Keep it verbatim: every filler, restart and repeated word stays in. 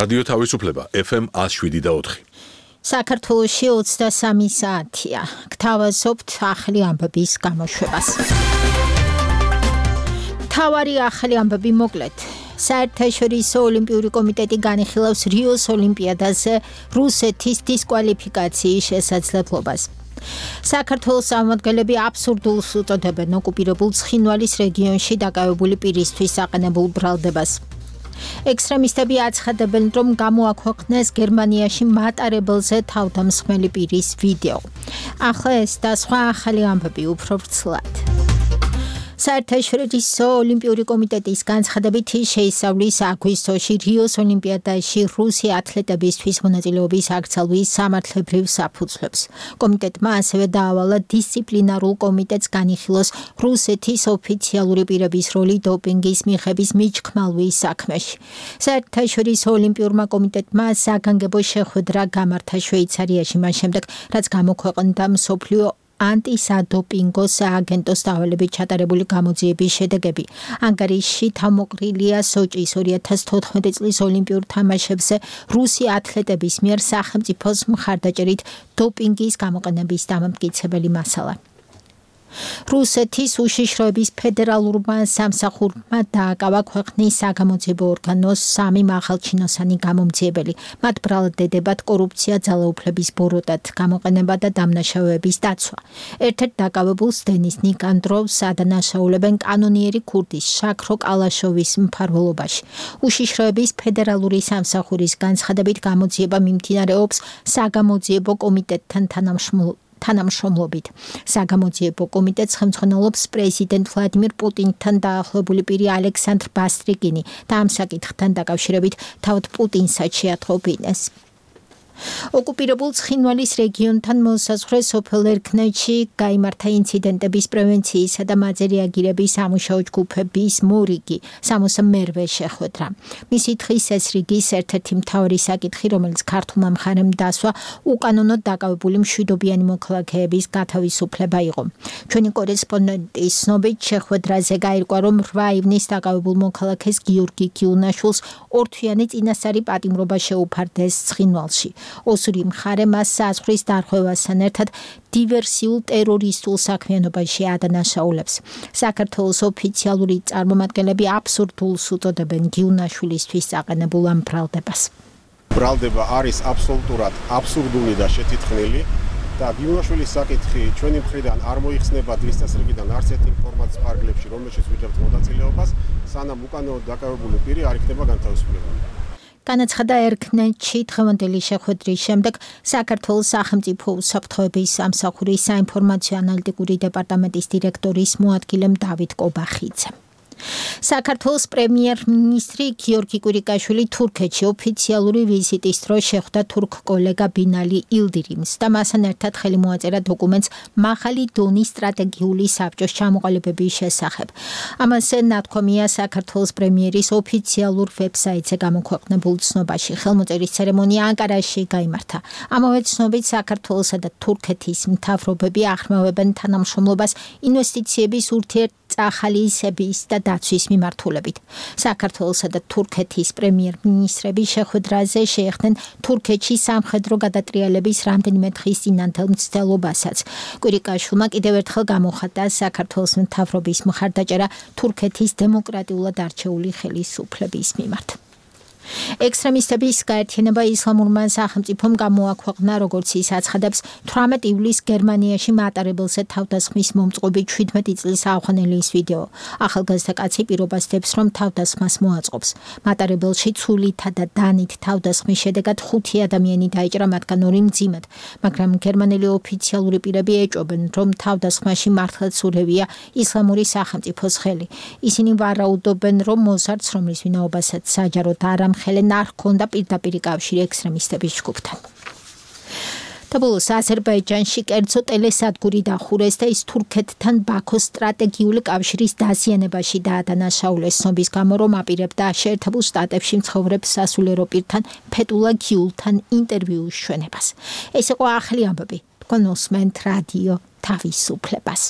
რადიო თავისუფლება ეფ ემ one oh seven და four. საქართველოში ოცდასამი საათია. გთავაზობთ ახალი ამბების გამოშვებას. მთავარი ახალი ამბები მოკლედ. საერთაშორისო ოლიმპიური კომიტეტი განიხილავს რიოს ოლიმპიადაზე რუსეთის დისკვალიფიკაციის შესაძლებლობას. საქართველოს წარმომადგენლები აბსურდულს უწოდებენ ოკუპირებულ ცხინვალის რეგიონში დაკავებული პირისთვის აყენებულ ბრალდებას. ექსტრემისტები აცხადებენ, რომ გამოაქვეყნეს გერმანიაში მატარებელზე თავდამსხმელი პირის ვიდეო. ახლა ეს და სხვა ახალი ამბები უფრო ვრცლად. საერთაშორისო ოლიმპიური კომიტეტის განცხადებით შეისწავლის აგვისტოში რიოს ოლიმპიადაში რუსი ათლეტებისთვის მონაწილეობის აკრძალვის სამართლებრივ საფუძვლებს. კომიტეტმა ასევე დაავალა დისციპლინარულ კომიტეტს განიხილოს რუსეთის ოფიციალური პირების როლი დოპინგის მიღების მიჩქმალვის საქმეში. საერთაშორისო ოლიმპიურმა კომიტეტმა საგანგებო შეხვედრა გამართა შვეიცარიაში მას შემდეგ, რაც გამოქვეყნდა მსოფლიო ანტისადოპინგო სააგენტოს დავალებით ჩატარებული გამოძიების შედეგები. ანგარიშში თავმოყრილია სოჭის ორი ათას თოთხმეტი წლის ოლიმპიურ თამაშებზე რუსი ათლეტების მიერ სახელმწიფოს მხარდაჭერით დოპინგის გამოყენების დამამტკიცებელი მასალა. რუსეთის უშიშროების ფედერალურმა სამსახურმა დააკავა ქვეყნის საგამოძიებო ორგანოს სამი მაღალჩინოსანი გამომძიებელი. მათ ბრალდებათ კორუფცია, ძალაუფლების ბოროტად, გამოყენება და დამნაშავეების დაცვა. ერთ-ერთ დაკავებულს დენის ნიკანდროვს ადანაშაულებენ კანონიერი ქურდის შაქრო კალაშოვის მფარველობაში. უშიშროების ფედერალური სამსახურის განცხადებით გამოძიება მიმდინარეობს საგამოძიებო კომიტეტთან თანამშრომლობით. თანამშრომლობით. საგამოძიებო კომიტეტს ხელმძღვანელობს პრეზიდენტ ვლადიმირ პუტინთან დაახლოებული პირი ალექსანდრ ბასტრიკინი და ამ საკითხთან დაკავშირებით თავად პუტინსაც შეათხოვინეს. ოკუპირებულ ცხინვალის რეგიონთან მოსაზღვრე სოფელ ერქნეთში გაიმართა ინციდენტების პრევენციისა და მათზე რეაგირების სამუშაო ჯგუფების მორიგი სამოცდამეერთე შეხვედრა. მისი დღის ეს რიგის ერთ-ერთი მთავარი საკითხი, რომელიც ქართულმა მხარემ დასვა, უკანონოდ დაკავებული მშვიდობიანი მოქალაქეების გათავისუფლება იყო. ჩვენი კორესპონდენტის ცნობით შეხვედრაზე გაირკვა, რომ რვა ივნის დაკავებულ მოქალაქეს გიორგი გიუნაშვილს ორთვიანი წინასწარი პატიმრობა შეუფარდეს ცხინვალში. ოსური მხარე მას საზღვრის დარღვევასთან ერთად დივერსიულ ტერორისტულ საქმიანობაში ადანაშაულებს. საქართველოს ოფიციალური წარმომადგენლები აბსურდულს უწოდებენ გიუნაშვილისთვის აყენებულ ამ ბრალდებას. ბრალდება არის აბსოლუტურად აბსურდული და შეთითქმული და გიუნაშვილის საკითხი ჩვენი მხრიდან არ მოიხსნება დღის წესრიგიდან არც ერთ ინფორმაციის ფარგლებში, რომელშიც ვიძებთ მონაწილეობას, სანამ უკანონოდ დაკავებული პირი არ იქნება განთავისუფლებული. განაცხადა ერქნეთში დღევანდელი შეხვედრის შემდეგ საქართველოს სახელმწიფო უსაფრთხოების სამსახურის საინფორმაციო ანალიტიკური დეპარტამენტის დირექტორის მოადგილემ დავით კობახიძემ. საქართველოს პრემიერ-მინისტრი გიორგი კვირიკაშვილი თურქეთში ოფიციალური ვიზიტის დროს შეხვდა თურქ კოლეგა ბინალი ილდირიმს და მასთან ერთად ხელი მოაწერა დოკუმენტს მაღალი დონის სტრატეგიული საბჭოს ჩამოყალიბების შესახებ. ამაზე ნათქვამია საქართველოს პრემიერის ოფიციალურ ვებსაიტზე გამოქვეყნებულ ცნობაში. ხელმოწერის ცერემონია ანკარაში გაიმართა. ამავე ცნობით საქართველოსა და თურქეთის მთავრობები ახმოვებენ თანამშრომლობას ინვესტიციების ურთიერთწახალისების და დაცვის მიმართულებით. საქართველოსა და თურქეთის პრემიერ-მინისტრები შეხვედრაზე შეეხდნენ თურქეთში სამხედრო გადატრიალების რამდენიმე დღის წინანდელ მცდელობასაც. კვირიკაშვილმა კიდევ ერთხელ გამოხატა საქართველოს მთავრობის მხარდაჭერა თურქეთის დემოკრატიულად არჩეული ხელისუფლების მიმართ. ექსტრემისტების გაერთიანება ისლამურმა სახელმწიფომ გამოაქვეყნა, როგორც ის აცხადებს, თვრამეტ ივლისს გერმანიაში მატარებელზე თავდასხმის მომწყობი შვიდმეტი წლის ავღანელის ვიდეო. ახალგაზრდა კაცი პირობას დებს, რომ თავდასხმას მოაწყობს. მატარებელში ცულითა და დანით თავდასხმის შედეგად ხუთი ადამიანი დაიჭრა, მათგან ორი მძიმედ, მაგრამ გერმანელი ოფიციალური პირები ეჭვობენ, რომ თავდასხმაში მართლაც ურევია ისლამური სახელმწიფოს ხელი. ისინი ვარაუდობენ, რომ მოზარდს, რომლის ვინაობასაც საჯაროდ არ ხელენ არ ჰქონდა პირდაპირ კავშირი ექსტრემისტების ჯგუფთან. და ბოლოს აზერბაიჯანში კერძო ტელესადგური დახურეს და ის თურქეთთან ბაქოს სტრატეგიული კავშირის დაზიანებაში დაადანაშაულეს ცნობის გამო, რომ აპირებდა შეერთებულ შტატებში მცხოვრებ სასულიერო პირთან ფეტულა გიულთან ინტერვიუს ჩვენებას. ეს იყო ახალი ამბები. თქვენ უსმენთ რადიო თავისუფლებას.